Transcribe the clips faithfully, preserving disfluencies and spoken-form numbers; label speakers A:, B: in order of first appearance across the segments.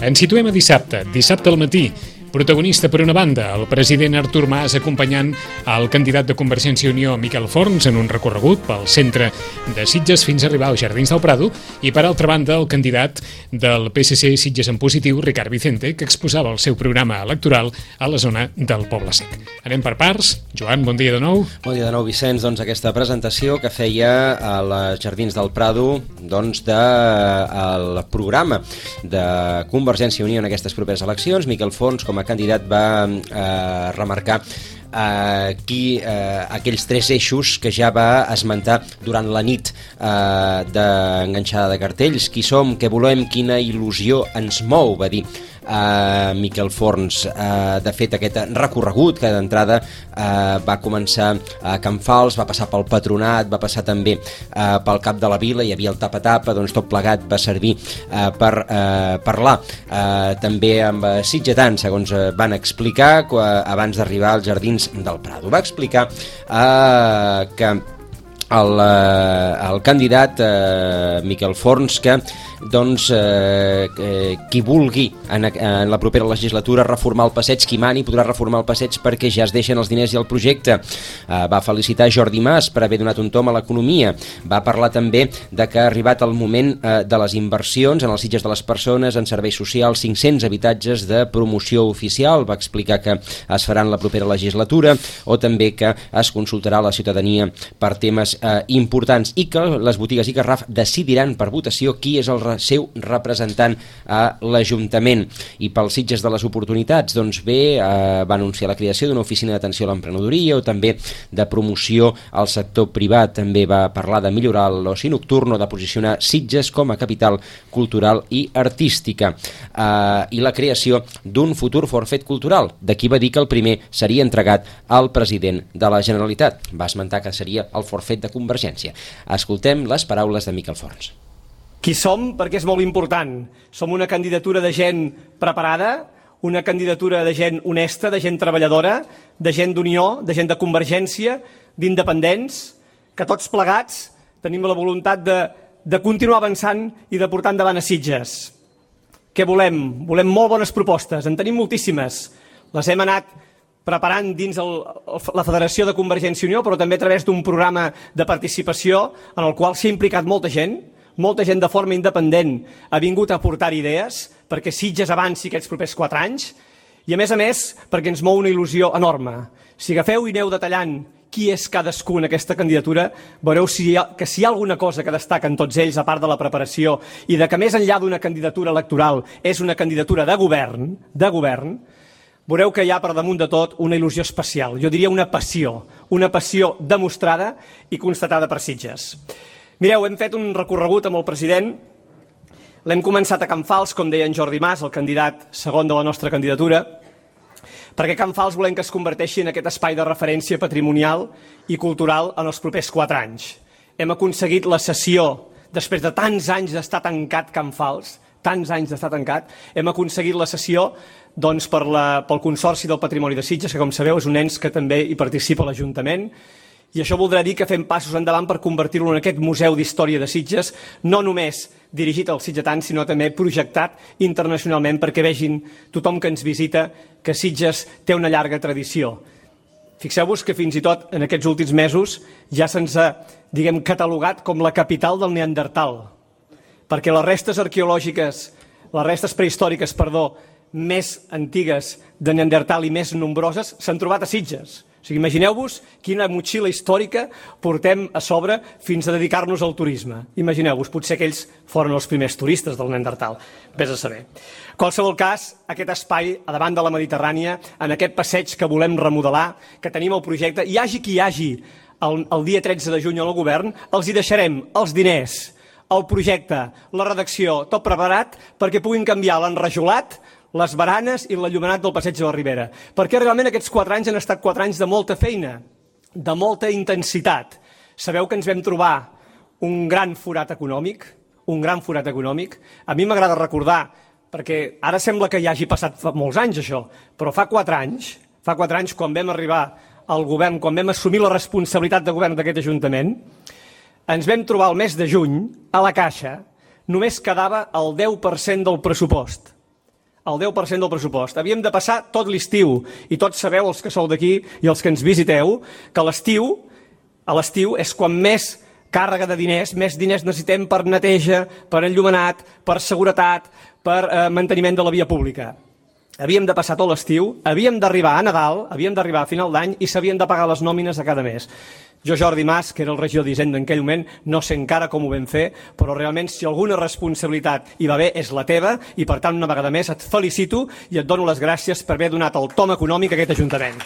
A: Ens situem a dissabte, dissabte al matí. Protagonista, per una banda, el president Artur Mas acompanyant el candidat de Convergència i Unió, Miquel Forns, en un recorregut pel centre de Sitges fins a arribar als Jardins del Prado, i per altra banda, el candidat del P S C Sitges en Positiu, Ricard Vicente, que exposava el seu programa electoral a la zona del Poble Sec. Anem per parts. Joan, bon dia de nou.
B: Bon dia de nou, Vicenç. Doncs aquesta presentació que feia a les Jardins del Prado, doncs, del programa de Convergència i Unió en aquestes properes eleccions. Miquel Forns, com a candidat, va eh, remarcar eh, qui, eh, aquells tres eixos que ja va esmentar durant la nit eh, d'enganxada de cartells. Qui som, què volem, quina il·lusió ens mou, va dir Uh, Miquel Forns. Uh, de fet, aquest recorregut que d'entrada uh, va començar a Can Fals, va passar pel Patronat, va passar també uh, pel Cap de la Vila, hi havia el tapa-tapa, doncs tot plegat va servir uh, per uh, parlar uh, també amb uh, sitgetans, segons uh, van explicar uh, abans d'arribar als Jardins del Prado. Va explicar uh, que el, uh, el candidat uh, Miquel Forns que doncs eh, eh, qui vulgui en, en la propera legislatura reformar el passeig, qui mani podrà reformar el passeig perquè ja es deixen els diners i el projecte. Eh, va felicitar Jordi Mas per haver donat un tom a l'economia. Va parlar també de que ha arribat el moment eh, de les inversions en els Sitges de les persones, en serveis socials, cinc-cents habitatges de promoció oficial. Va explicar que es faran la propera legislatura, o també que es consultarà la ciutadania per temes eh, importants, i que les botigues i Garraf decidiran per votació qui és el seu representant a l'Ajuntament. I pels Sitges de les oportunitats, doncs bé, eh, va anunciar la creació d'una oficina d'atenció a l'emprenedoria, o també de promoció al sector privat. També va parlar de millorar l'oci nocturn o de posicionar Sitges com a capital cultural i artística, eh, i la creació d'un futur forfet cultural. D'aquí va dir que el primer seria entregat al president de la Generalitat. Va esmentar que seria el forfet de Convergència. Escoltem les paraules de Miquel Forns.
C: Qui som, perquè és molt important. Som una candidatura de gent preparada, una candidatura de gent honesta, de gent treballadora, de gent d'unió, de gent de convergència, d'independents, que tots plegats tenim la voluntat de, de continuar avançant i de portar endavant a Sitges. Què volem? Volem molt bones propostes, en tenim moltíssimes. Les hem anat preparant dins el, la Federació de Convergència i Unió, però també a través d'un programa de participació en el qual s'ha implicat molta gent. Molta gent de forma independent ha vingut a aportar idees perquè Sitges avanci aquests propers quatre anys, i a més a més perquè ens mou una il·lusió enorme. Si agafeu i aneu detallant qui és cadascú en aquesta candidatura, veureu si hi ha, que si hi ha alguna cosa que destaquen tots ells, a part de la preparació, i de que més enllà d'una candidatura electoral és una candidatura de govern, de govern, veureu que hi ha per damunt de tot una il·lusió especial, jo diria una passió, una passió demostrada i constatada per Sitges. Mireu, hem fet un recorregut amb el president, l'hem començat a Can Fals, com deia en Jordi Mas, el candidat segon de la nostra candidatura, perquè Can Fals volem que es converteixi en aquest espai de referència patrimonial i cultural en els propers quatre anys. Hem aconseguit la cessió, després de tants anys d'estar tancat Can Fals, tants anys d'estar tancat, hem aconseguit la cessió doncs, per la, pel Consorci del Patrimoni de Sitges, que com sabeu és un ens que també hi participa l'Ajuntament, i això voldrà dir que fem passos endavant per convertir-lo en aquest museu d'història de Sitges, no només dirigit als sitgetans, sinó també projectat internacionalment perquè vegin tothom que ens visita que Sitges té una llarga tradició. Fixeu-vos que fins i tot en aquests últims mesos ja se'ns ha, diguem, catalogat com la capital del Neandertal, perquè les restes arqueològiques, les restes prehistòriques, perdó, més antigues de Neandertal i més nombroses s'han trobat a Sitges. O sigui, imagineu-vos quina motxilla històrica portem a sobre fins a dedicar-nos al turisme. Imagineu-vos, potser que ells foren els primers turistes del Neandertal. Vés a saber. En qualsevol cas, aquest espai a davant de la Mediterrània, en aquest passeig que volem remodelar, que tenim el projecte, hi hagi qui hi hagi el, el dia tretze de juny al govern, els hi deixarem els diners, el projecte, la redacció, tot preparat perquè puguin canviar l'enrajolat, les baranes i l'enllumenat del passeig de la Ribera. Perquè realment aquests quatre anys han estat quatre anys de molta feina, de molta intensitat. Sabeu que ens vam trobar un gran forat econòmic, un gran forat econòmic. A mi m'agrada recordar, perquè ara sembla que ja hagi passat fa molts anys això, però fa quatre anys, fa quatre anys quan vam arribar al govern, quan vam assumir la responsabilitat de govern d'aquest Ajuntament, ens vam trobar el mes de juny, a la Caixa, només quedava el deu per cent del pressupost. el deu per cent del pressupost. Havíem de passar tot l'estiu, i tots sabeu, els que sou d'aquí i els que ens visiteu, que l'estiu, a l'estiu és quan més càrrega de diners, més diners necessitem per neteja, per enllumenat, per seguretat, per eh, manteniment de la via pública. Havíem de passar tot l'estiu, havíem d'arribar a Nadal, havíem d'arribar a final d'any i s'havien de pagar les nòmines de cada mes. Jo, Jordi Mas, que era el regidor d'Hisenda en aquell moment, no sé encara com ho vam fer, però realment si alguna responsabilitat hi va haver és la teva i per tant una vegada més et felicito i et dono les gràcies per haver donat el tom econòmic a aquest Ajuntament.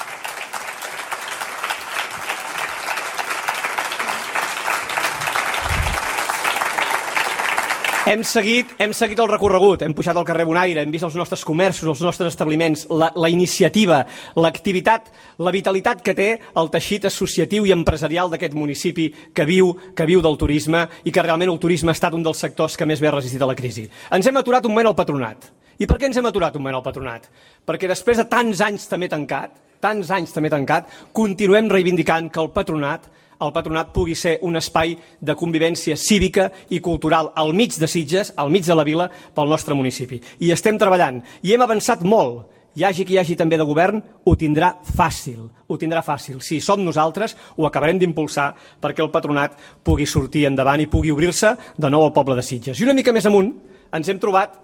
C: Hem seguit, hem seguit el recorregut, hem pujat al carrer Bonaire, hem vist els nostres comerços, els nostres establiments, la, la iniciativa, l'activitat, la vitalitat que té el teixit associatiu i empresarial d'aquest municipi que viu, que viu del turisme i que realment el turisme ha estat un dels sectors que més bé ha resistit a la crisi. Ens hem aturat un moment al patronat. I per què ens hem aturat un moment al patronat? Perquè després de tants anys també tancat, tants anys també tancat, continuem reivindicant que el patronat el patronat pugui ser un espai de convivència cívica i cultural al mig de Sitges, al mig de la vila, pel nostre municipi. I estem treballant, i hem avançat molt. Hi hagi qui hi hagi també de govern, ho tindrà fàcil, ho tindrà fàcil. Si som nosaltres, ho acabarem d'impulsar perquè el patronat pugui sortir endavant i pugui obrir-se de nou al poble de Sitges. I una mica més amunt ens hem trobat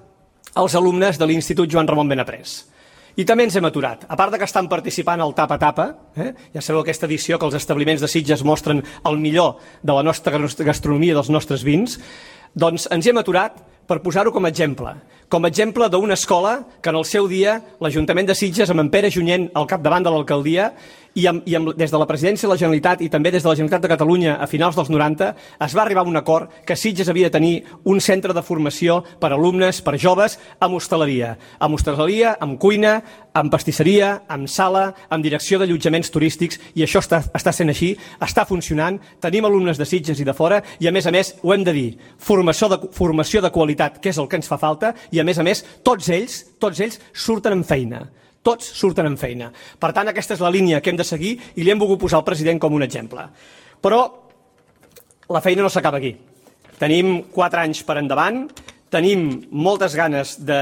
C: els alumnes de l'Institut Joan Ramon Benaprés. I també ens hem aturat. A part de que estan participant al Tapa Tapa, eh? Ja sabeu aquesta edició que els establiments de Sitges mostren el millor de la nostra gastronomia, dels nostres vins, doncs ens hem aturat per posar-ho com a exemple. Com a exemple d'una escola que en el seu dia l'Ajuntament de Sitges, amb en Pere Junyent al capdavant de l'alcaldia, i, amb, i amb, des de la presidència de la Generalitat i també des de la Generalitat de Catalunya a finals dels noranta, es va arribar a un acord que Sitges havia de tenir un centre de formació per a alumnes, per a joves, amb hostaleria. Amb hostaleria, amb cuina, amb pastisseria, amb sala, amb direcció d'allotjaments turístics, i això està, està sent així, està funcionant, tenim alumnes de Sitges i de fora, i a més a més, ho hem de dir, formació de, formació de qualitat, que és el que ens fa falta, i a més a més, tots ells, tots ells surten amb feina. Tots surten en feina. Per tant, aquesta és la línia que hem de seguir i li hem volgut posar al president com un exemple. Però la feina no s'acaba aquí. Tenim quatre anys per endavant, tenim moltes ganes de,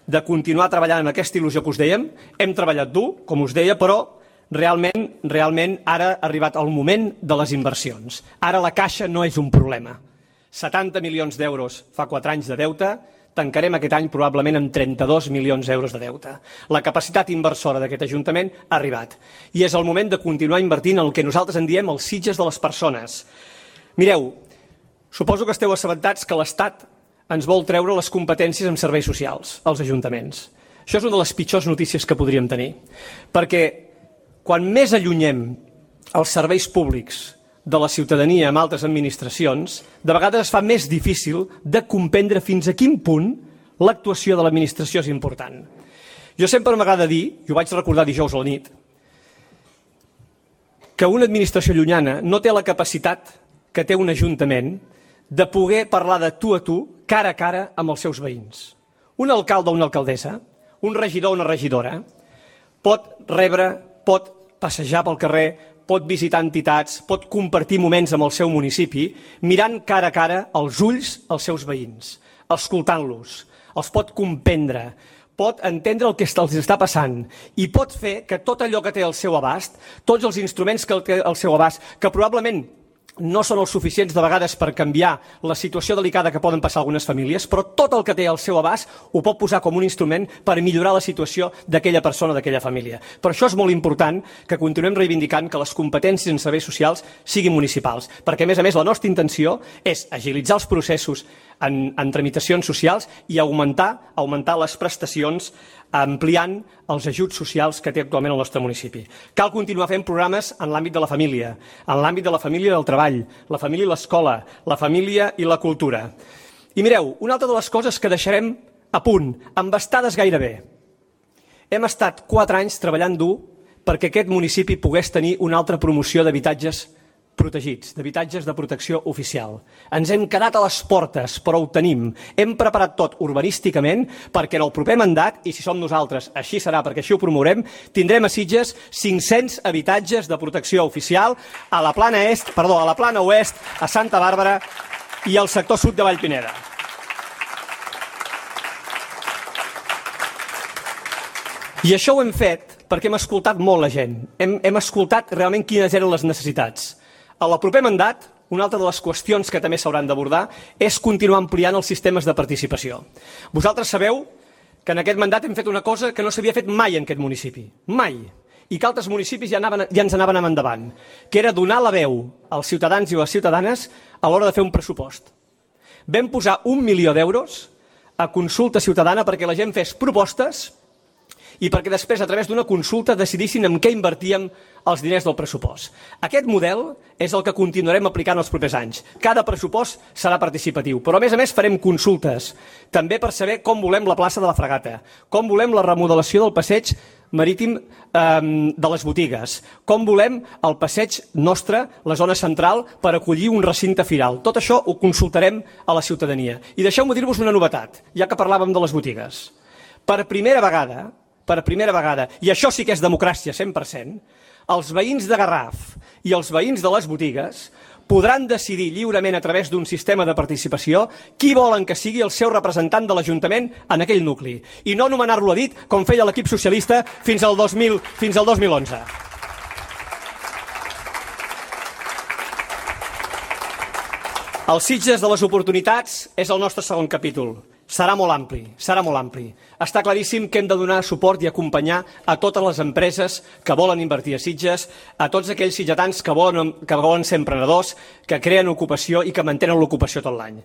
C: de continuar treballant amb aquesta il·lusió que us dèiem. Hem treballat dur, com us deia, però realment, realment ara ha arribat el moment de les inversions. Ara la caixa no és un problema. setanta milions d'euros fa quatre anys de deute, tancarem aquest any probablement amb trenta-dos milions d'euros de deute. La capacitat inversora d'aquest Ajuntament ha arribat. I és el moment de continuar invertint en el que nosaltres en diem els Sitges de les persones. Mireu, suposo que esteu assabentats que l'Estat ens vol treure les competències en serveis socials, als ajuntaments. Això és una de les pitjors notícies que podríem tenir. Perquè quan més allunyem els serveis públics de la ciutadania amb altres administracions, de vegades es fa més difícil de comprendre fins a quin punt l'actuació de l'administració és important. Jo sempre m'agrada dir, i ho vaig recordar dijous a la nit, que una administració llunyana no té la capacitat que té un ajuntament de poder parlar de tu a tu, cara a cara, amb els seus veïns. Un alcalde o una alcaldessa, un regidor o una regidora, pot rebre, pot passejar pel carrer, pot visitar entitats, pot compartir moments amb el seu municipi, mirant cara a cara als ulls als seus veïns, escoltant-los, els pot comprendre, pot entendre el que els està passant i pot fer que tot allò que té al seu abast, tots els instruments que té al seu abast, que probablement no són els suficients de vegades per canviar la situació delicada que poden passar algunes famílies, però tot el que té al seu abast ho pot posar com un instrument per millorar la situació d'aquella persona, d'aquella família. Per això és molt important que continuem reivindicant que les competències en serveis socials siguin municipals, perquè a més a més la nostra intenció és agilitzar els processos en, en tramitacions socials i augmentar, augmentar les prestacions ampliant els ajuts socials que té actualment el nostre municipi. Cal continuar fent programes en l'àmbit de la família, en l'àmbit de la família i del treball, la família i l'escola, la família i la cultura. I mireu, una altra de les coses que deixarem a punt, embastades gairebé. Hem estat quatre anys treballant dur perquè aquest municipi pogués tenir una altra promoció d'habitatges protegits, d'habitatges de protecció oficial. Ens hem quedat a les portes, però ho tenim. Hem preparat tot urbanísticament perquè en el proper mandat, i si som nosaltres, així serà perquè així ho promourem, tindrem a Sitges cinc-cents habitatges de protecció oficial a la plana est, perdó, a la plana oest, a Santa Bàrbara i al sector sud de Vallpineda. I això ho hem fet perquè hem escoltat molt la gent, hem, hem escoltat realment quines eren les necessitats. A el proper mandat, una altra de les qüestions que també s'hauran d'abordar és continuar ampliant els sistemes de participació. Vosaltres sabeu que en aquest mandat hem fet una cosa que no s'havia fet mai en aquest municipi, mai, i que altres municipis ja, anaven, ja ens anaven endavant, que era donar la veu als ciutadans i les ciutadanes a l'hora de fer un pressupost. Vam posar un milió d'euros a consulta ciutadana perquè la gent fes propostes i perquè després, a través d'una consulta, decidissin en què invertíem els diners del pressupost. Aquest model és el que continuarem aplicant els propers anys. Cada pressupost serà participatiu, però a més a més farem consultes, també per saber com volem la plaça de la Fragata, com volem la remodelació del passeig marítim eh, de les botigues, com volem el passeig nostre, la zona central, per acollir un recinte firal. Tot això ho consultarem a la ciutadania. I deixeu-me dir-vos una novetat, ja que parlàvem de les botigues. Per primera vegada, per primera vegada, i això sí que és democràcia cent per cent, els veïns de Garraf i els veïns de les botigues podran decidir lliurement a través d'un sistema de participació qui volen que sigui el seu representant de l'Ajuntament en aquell nucli, i no nomenar-lo a dit com feia l'equip socialista fins al dos mil, fins al dos mil onze. Els Sitges de les oportunitats és el nostre segon capítol. Serà molt ampli, serà molt ampli. Està claríssim que hem de donar suport i acompanyar a totes les empreses que volen invertir a Sitges, a tots aquells sitgetans que volen, que volen ser emprenedors, que creen ocupació i que mantenen l'ocupació tot l'any.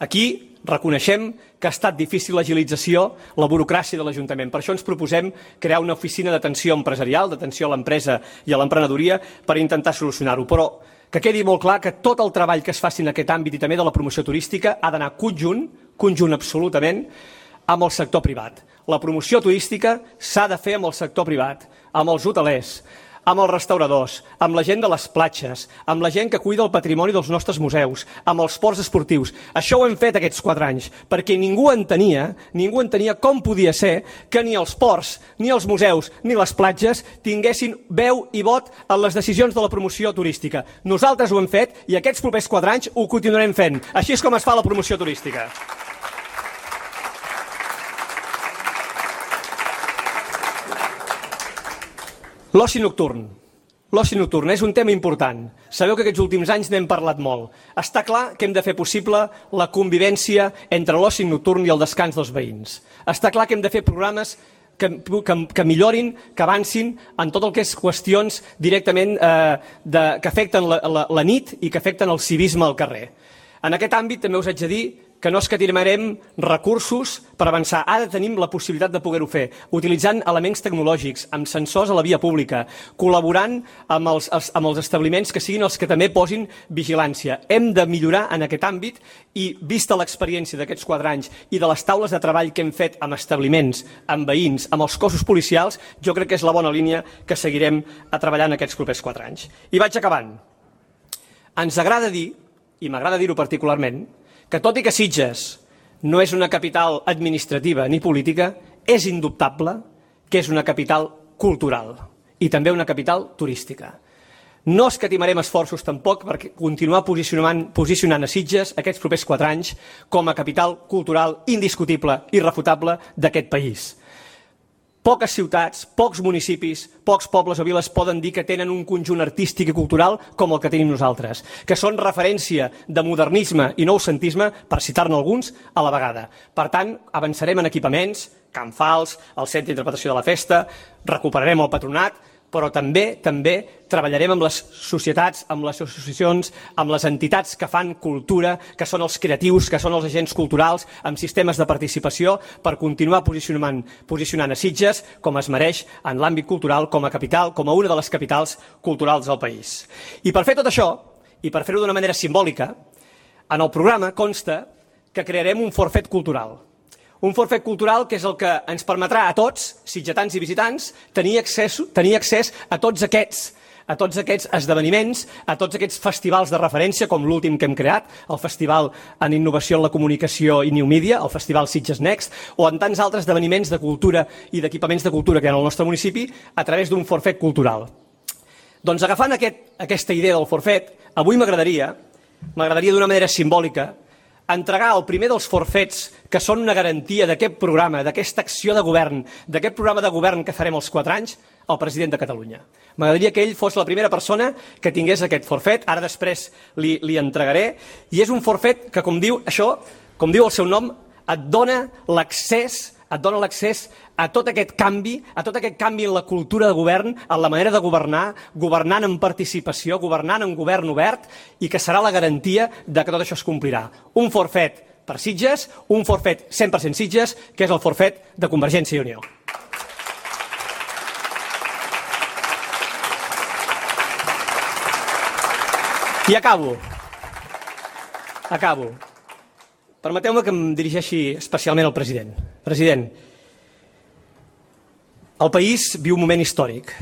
C: Aquí reconeixem que ha estat difícil l'agilització, la burocràcia de l'Ajuntament. Per això ens proposem crear una oficina d'atenció empresarial, d'atenció a l'empresa i a l'emprenedoria, per intentar solucionar-ho. Però que quedi molt clar que tot el treball que es faci en aquest àmbit i també de la promoció turística ha d'anar conjunt, conjunt absolutament, amb el sector privat. La promoció turística s'ha de fer amb el sector privat, amb els hotelers, amb els restauradors, amb la gent de les platges, amb la gent que cuida el patrimoni dels nostres museus, amb els ports esportius. Això ho hem fet aquests quatre anys, perquè ningú entenia, ningú entenia com podia ser que ni els ports, ni els museus, ni les platges tinguessin veu i vot en les decisions de la promoció turística. Nosaltres ho hem fet i aquests propers quatre anys ho continuarem fent. Així és com es fa la promoció turística. L'oci nocturn. L'oci nocturn és un tema important. Sabeu que aquests últims anys n'hem parlat molt. Està clar que hem de fer possible la convivència entre l'oci nocturn i el descans dels veïns. Està clar que hem de fer programes que, que, que millorin, que avancin en tot el que és qüestions directament eh, de, que afecten la, la, la nit i que afecten el civisme al carrer. En aquest àmbit també us haig de dir que no escatimarem recursos per avançar. Ara tenim la possibilitat de poder-ho fer, utilitzant elements tecnològics, amb sensors a la via pública, col·laborant amb els, els, amb els establiments que siguin els que també posin vigilància. Hem de millorar en aquest àmbit i, vista l'experiència d'aquests quatre anys i de les taules de treball que hem fet amb establiments, amb veïns, amb els cossos policials, jo crec que és la bona línia que seguirem a treballar en aquests propers quatre anys. I vaig acabant. Ens agrada dir, i m'agrada dir-ho particularment, que tot i que Sitges no és una capital administrativa ni política, és indubtable que és una capital cultural i també una capital turística. No escatimarem esforços tampoc per continuar posicionant, posicionant a Sitges aquests propers quatre anys com a capital cultural indiscutible i irrefutable d'aquest país. Poques ciutats, pocs municipis, pocs pobles o viles poden dir que tenen un conjunt artístic i cultural com el que tenim nosaltres, que són referència de modernisme i noucentisme, per citar-ne alguns, a la vegada. Per tant, avançarem en equipaments, Can Fals, el Centre d'Interpretació de la Festa, recuperarem el Patronat, però també també treballarem amb les societats, amb les associacions, amb les entitats que fan cultura, que són els creatius, que són els agents culturals, amb sistemes de participació, per continuar posicionant, posicionant a Sitges com es mereix en l'àmbit cultural, com a capital, com a una de les capitals culturals del país. I per fer tot això, i per fer-ho d'una manera simbòlica, en el programa consta que crearem un forfet cultural. Un forfet cultural que és el que ens permetrà a tots, sitgetans i visitants, tenir accés, tenir accés a tots aquests, a tots aquests esdeveniments, a tots aquests festivals de referència, com l'últim que hem creat, el Festival en Innovació en la Comunicació i New Media, el Festival Sitges Next, o en tants altres esdeveniments de cultura i d'equipaments de cultura que hi ha al nostre municipi a través d'un forfet cultural. Doncs agafant aquest, aquesta idea del forfet, avui m'agradaria, m'agradaria d'una manera simbòlica, entregar el primer dels forfets que són una garantia d'aquest programa, d'aquesta acció de govern, d'aquest programa de govern que farem els quatre anys, al president de Catalunya. M'agradaria que ell fos la primera persona que tingués aquest forfet, ara després li, li entregaré, i és un forfet que, com diu això, com diu el seu nom, et dona l'accés et dona l'accés a tot aquest canvi, a tot aquest canvi en la cultura de govern, en la manera de governar, governant en participació, governant en govern obert, i que serà la garantia de que tot això es complirà. Un forfet per Sitges, un forfet cent per cent Sitges, que és el forfet de Convergència i Unió. I acabo. Acabo. Permeteu-me que em dirigeixi especialment al president. President, el país viu un moment històric,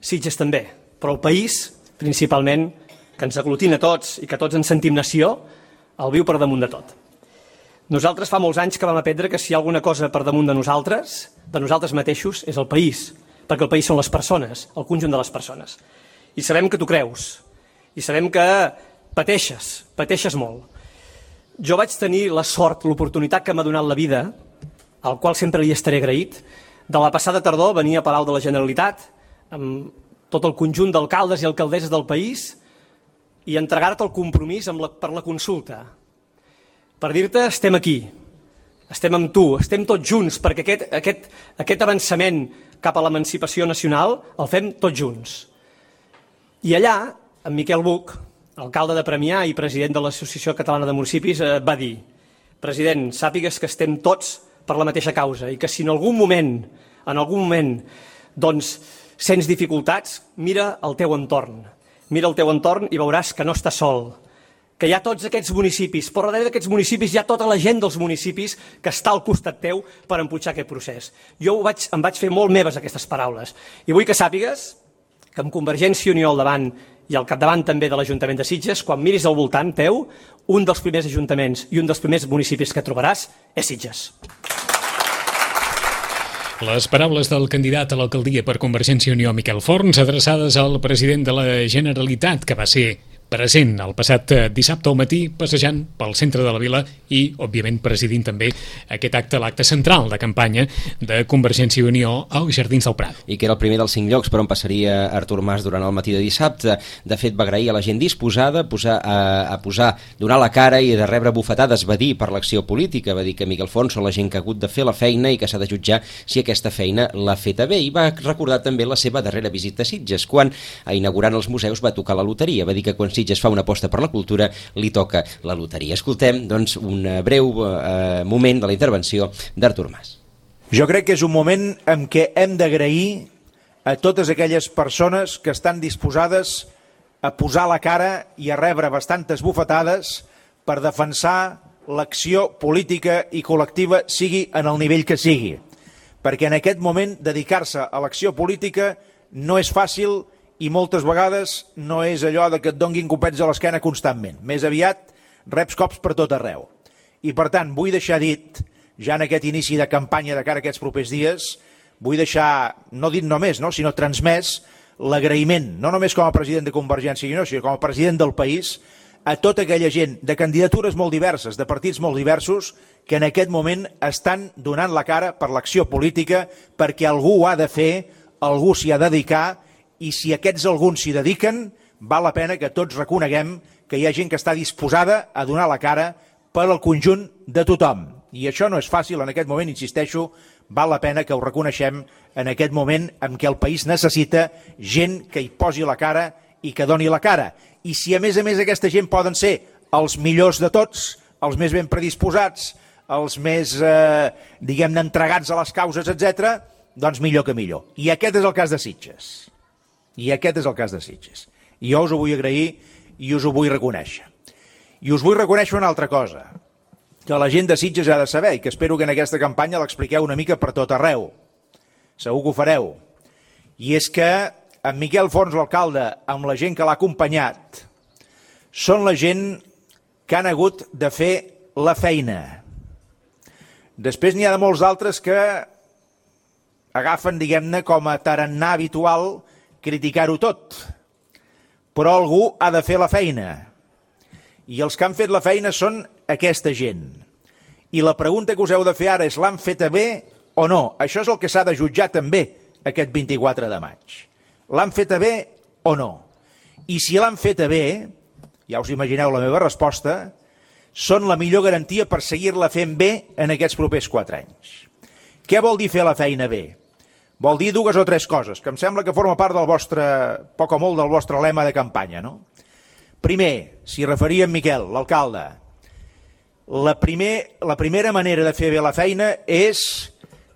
C: Sitges també, però el país, principalment, que ens aglutina tots i que tots ens sentim nació, el viu per damunt de tot. Nosaltres fa molts anys que vam aprendre que si hi ha alguna cosa per damunt de nosaltres, de nosaltres mateixos, és el país, perquè el país són les persones, el conjunt de les persones. I sabem que tu creus, i sabem que pateixes, pateixes molt. Jo vaig tenir la sort, l'oportunitat que m'ha donat la vida, al qual sempre li estaré agraït, de la passada tardor venir a Palau de la Generalitat amb tot el conjunt d'alcaldes i alcaldesses del país i entregar-te el compromís amb la, per la consulta. Per dir-te, estem aquí, estem amb tu, estem tots junts, perquè aquest, aquest, aquest avançament cap a l'emancipació nacional el fem tots junts. I allà, en Miquel Buch, alcalde de Premià i president de l'Associació Catalana de Municipis, eh, va dir: president, sàpigues que estem tots per la mateixa causa i que si en algun moment, en algun moment, doncs, sents dificultats, mira el teu entorn. Mira el teu entorn i veuràs que no estàs sol, que hi ha tots aquests municipis, però darrere d'aquests municipis hi ha tota la gent dels municipis que està al costat teu per empujar aquest procés. Jo ho vaig, em vaig fer molt meves aquestes paraules i vull que sàpigues que amb Convergència i Unió al davant i al capdavant també de l'Ajuntament de Sitges, quan miris al voltant teu, un dels primers ajuntaments i un dels primers municipis que trobaràs és Sitges.
A: Les paraules del candidat a l'alcaldia per Convergència i Unió, Miquel Forns, adreçades al president de la Generalitat, que va ser present el passat dissabte al matí passejant pel centre de la vila i, òbviament, presidint també aquest acte, l'acte central de campanya de Convergència i Unió als Jardins del Prat.
B: I que era el primer dels cinc llocs per on passaria Artur Mas durant el matí de dissabte. De fet, va agrair a la gent disposada a posar, a, a posar, donar la cara i de rebre bufetades, va dir, per l'acció política. Va dir que Miquel Forns són la gent que ha hagut de fer la feina i que s'ha de jutjar si aquesta feina l'ha feta bé. I va recordar també la seva darrera visita a Sitges, quan, inaugurant els museus, va tocar la loteria. Va dir que quan Sitges fa una aposta per la cultura, li toca la loteria. Escoltem, doncs, un breu eh, moment de la intervenció d'Artur Mas.
D: Jo crec que és un moment en què hem d'agrair a totes aquelles persones que estan disposades a posar la cara i a rebre bastantes bufetades per defensar l'acció política i col·lectiva, sigui en el nivell que sigui. Perquè en aquest moment dedicar-se a l'acció política no és fàcil i moltes vegades no és allò de que et donguin copets a l'esquena constantment. Més aviat reps cops per tot arreu. I per tant, vull deixar dit, ja en aquest inici de campanya de cara a aquests propers dies, vull deixar, no dit només, no, sinó transmès l'agraïment, no només com a president de Convergència i Unió, sinó com a president del país, a tota aquella gent de candidatures molt diverses, de partits molt diversos, que en aquest moment estan donant la cara per l'acció política, perquè algú ho ha de fer, algú s'hi ha de dedicar, i si aquests alguns s'hi dediquen, val la pena que tots reconeguem que hi ha gent que està disposada a donar la cara per al conjunt de tothom. I això no és fàcil en aquest moment, insisteixo, val la pena que ho reconeixem en aquest moment en què el país necessita gent que hi posi la cara i que doni la cara. I si a més a més aquesta gent poden ser els millors de tots, els més ben predisposats, els més, eh, diguem-ne, entregats a les causes, etcètera, doncs millor que millor. I aquest és el cas de Sitges. I aquest és el cas de Sitges. I jo us ho vull agrair i us ho vull reconèixer. I us vull reconèixer una altra cosa, que la gent de Sitges ha de saber i que espero que en aquesta campanya l'expliqueu una mica per tot arreu. Segur que ho fareu. I és que en Miquel Forns, l'alcalde, amb la gent que l'ha acompanyat, són la gent que han hagut de fer la feina. Després n'hi ha de molts altres que agafen, diguem-ne, com a tarannà habitual criticar-ho tot, però algú ha de fer la feina, i els que han fet la feina són aquesta gent. I la pregunta que us heu de fer ara és: l'han feta bé o no? Això és el que s'ha de jutjar també aquest vint-i-quatre de maig. L'han feta bé o no? I si l'han feta bé, ja us imagineu la meva resposta, són la millor garantia per seguir-la fent bé en aquests propers quatre anys. Què vol dir fer la feina bé? Vol dir dues o tres coses, que em sembla que forma part del vostre, poc o molt del vostre lema de campanya, no? Primer, s'hi referia en Miquel, l'alcalde, la, primer, la primera manera de fer bé la feina és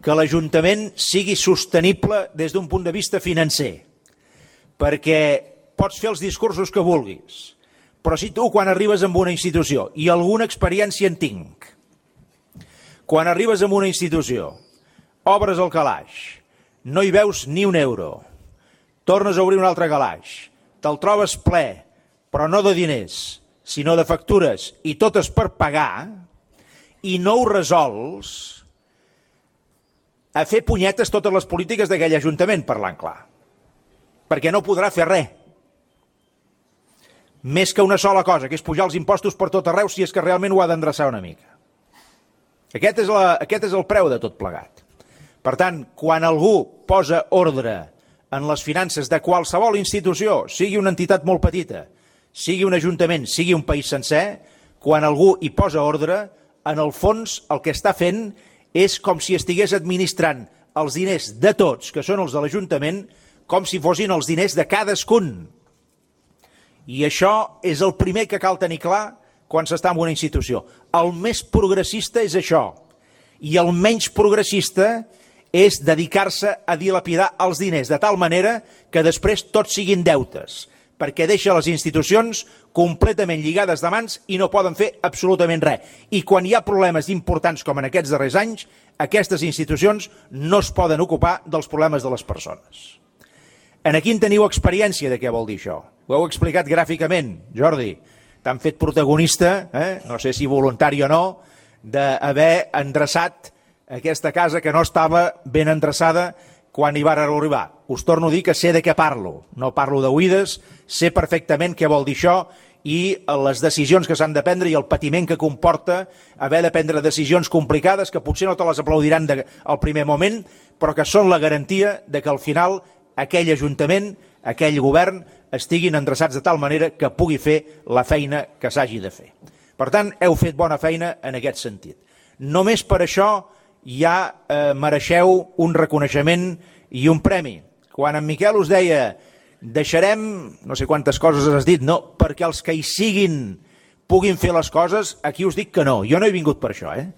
D: que l'Ajuntament sigui sostenible des d'un punt de vista financer, perquè pots fer els discursos que vulguis, però si tu, quan arribes a una institució, i alguna experiència en tinc, quan arribes a una institució, obres el calaix, no hi veus ni un euro, tornes a obrir un altre calaix, te'l trobes ple, però no de diners, sinó de factures, i totes per pagar, i no ho resols, a fer punyetes totes les polítiques d'aquell Ajuntament, parlant clar, perquè no podrà fer res. Més que una sola cosa, que és pujar els impostos per tot arreu si és que realment ho ha d'endreçar una mica. Aquest és, la, aquest és el preu de tot plegat. Per tant, quan algú posa ordre en les finances de qualsevol institució, sigui una entitat molt petita, sigui un ajuntament, sigui un país sencer, quan algú hi posa ordre, en el fons el que està fent és com si estigués administrant els diners de tots, que són els de l'Ajuntament, com si fossin els diners de cadascun. I això és el primer que cal tenir clar quan s'està en una institució. El més progressista és això, i el menys progressista és dedicar-se a dilapidar els diners de tal manera que després tots siguin deutes, perquè deixa les institucions completament lligades de mans i no poden fer absolutament res. I quan hi ha problemes importants com en aquests darrers anys, aquestes institucions no es poden ocupar dels problemes de les persones. En aquí en teniu experiència de què vol dir això. Ho heu explicat gràficament, Jordi. T'han fet protagonista, eh? no sé si voluntari o no, d'haver endreçat aquesta casa que no estava ben endreçada quan hi va arribar. Us torno a dir que sé de què parlo. No parlo d'oïdes, sé perfectament què vol dir això i les decisions que s'han de prendre i el patiment que comporta haver de prendre decisions complicades que potser no te les aplaudiran de, al primer moment, però que són la garantia de que al final aquell Ajuntament, aquell govern, estiguin endreçats de tal manera que pugui fer la feina que s'hagi de fer. Per tant, heu fet bona feina en aquest sentit. Només per això ja eh, mereixeu un reconeixement i un premi. Quan en Miquel us deia deixarem, no sé quantes coses has dit, no, perquè els que hi siguin puguin fer les coses, aquí us dic que no. Jo no he vingut per això, eh?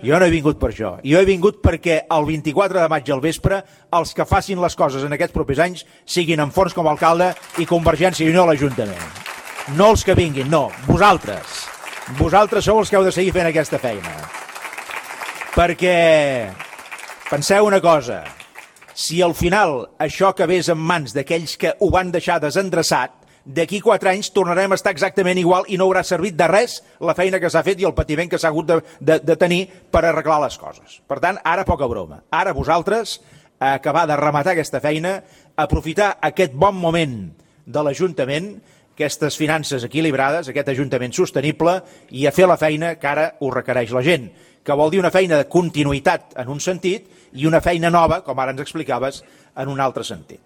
D: Jo no he vingut per això. Jo he vingut perquè el vint-i-quatre de maig al vespre els que facin les coses en aquests propers anys siguin en Forns com a alcalde i Convergència i Unió a l'Ajuntament. No els que vinguin, no, vosaltres. Vosaltres sou els que heu de seguir fent aquesta feina. Perquè penseu una cosa, si al final això acabés en mans d'aquells que ho van deixar desendreçat, d'aquí quatre anys tornarem a estar exactament igual i no haurà servit de res la feina que s'ha fet i el patiment que s'ha hagut de, de, de tenir per arreglar les coses. Per tant, ara poca broma. Ara vosaltres, a acabar de rematar aquesta feina, aprofitar aquest bon moment de l'Ajuntament, aquestes finances equilibrades, aquest Ajuntament sostenible, i a fer la feina que ara us requereix la gent, que vol dir una feina de continuïtat en un sentit i una feina nova, com ara ens explicaves, en un altre sentit.